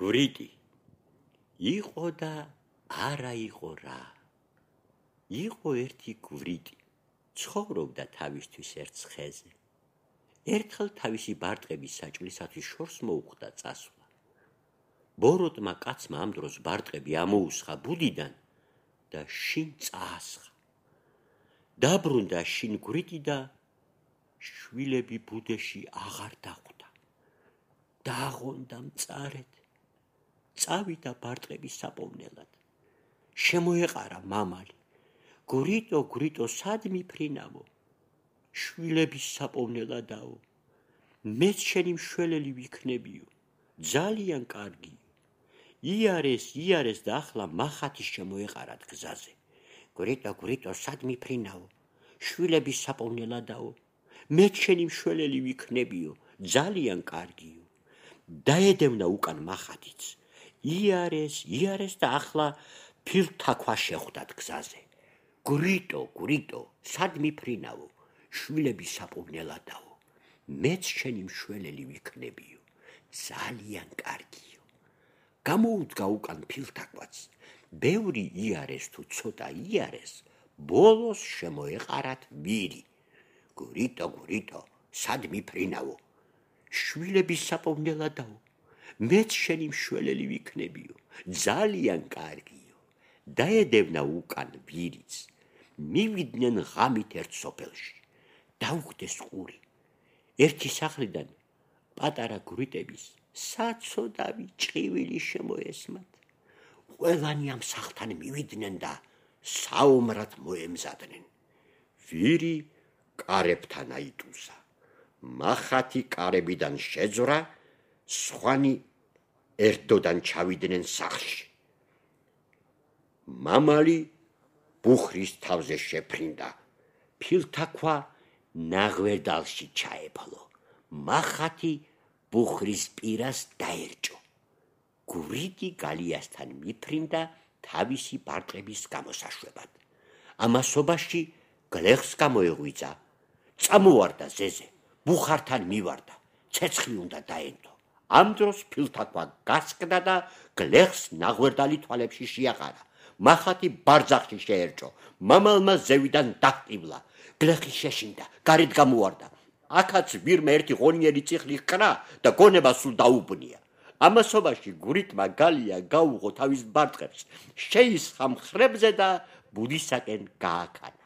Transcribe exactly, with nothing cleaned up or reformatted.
გურიტი იყო და არა იყო რა. იყო ერთი გურიტი, ცხოვრობდა თავისთვის ერთ ხეზე. ერთხელ თავისი ბარტყების საჭმლისათვის შორს მოუხდა წასვლა. ბოროტმა კაცმა ამ დროს ბარტყები ამოუსხა ბუდიდან და შინ წაასხა. დაბრუნდა შინ გურიტი და შვილები ბუდეში აღარ დახვდა. დააღონდა მწარედ. წავიდა ბარტყების საპოვნელად. შემოეყარა მამალი. გურიტო, გურიტო, სად მიფრინავო? შვილების საპოვნელადაო. მეც შენი მშველელი ვიქნებიო. ძალიან კარგიო. იარეს, იარეს და ახლა მახათი შემოეყარათ გზაზე. გურიტო, გურიტო, სად მიფრინავო? შვილების საპოვნელადაო. მეც შენი მშველელი ვიქნებიო. ძალიან კარგიო. დაედევნა უკან მახათიც. იარეს, იარეს და ახლა ფილთაქვა შეხვდათ გზაზე. გურიტო, გურიტო, სად მიფრინავო? შვილების საპოვნელადაო. მეც შენი მშველელი ვიქნებიო. ძალიან კარგიო. გამოუდგა უკან ფილთაქვაც. ბევრი იარეს თუ ცოტა იარეს, ბოლოს შემოეყარათ ვირი. გურიტო, გურიტო, სად მიფრინავო? შვილების საპოვნელადაო. მეც შენი მშველელი ვიქნებიო. ძალიან კარგიო. დაედევნა უკან ვირიც. მივიდნენ ღამით ერთ სოფელში. დაუხდეს ყური. ერთი სახლიდან პატარა გურიტების საცოდავი ჭყივილი შემოესმათ. ყველანი ამ სახლთან მივიდნენ და საომრად მოემზადნენ. ვირი კარებთან აიტუზა. მახათი კარებიდან შეძვრა, სხვანი ერთდოდან ჩავიდნენ სახლში. მამალი ბუხრის თავზე შეფრინდა. ფილთაქვა ნაღვერდალში ჩაეფლო. მახათი ბუხრის პირას დაერჭო. გურიტი გალიასთან მიფრინდა თავისი ბარტყების გამოსაშვებად. ამასობაში გლეხს გამოეღვიძა. წამოვარდა ზეზე, ბუხართან მივარდა, ცეცხლი უნდა დაენდო. ამ დროს ფილთაქვა გასკდა და გლეხს ნაღვერდალი თვალებში შეაყარა. მახათი ბარძახში შეერჭო. მამალმა ზევიდან დაჰყივლა. გლეხი შეშინდა, გარეთ გამოვარდა. აქაც ვირმა ერთი ღონიერი წიხლი ჰკრა და გონება სულ დაუბნია. ამასობაში გურიტმა გალია გაუღო თავის ბარტყებს, შეისხა მხრებზე და ბუდისაკენ გააქანა.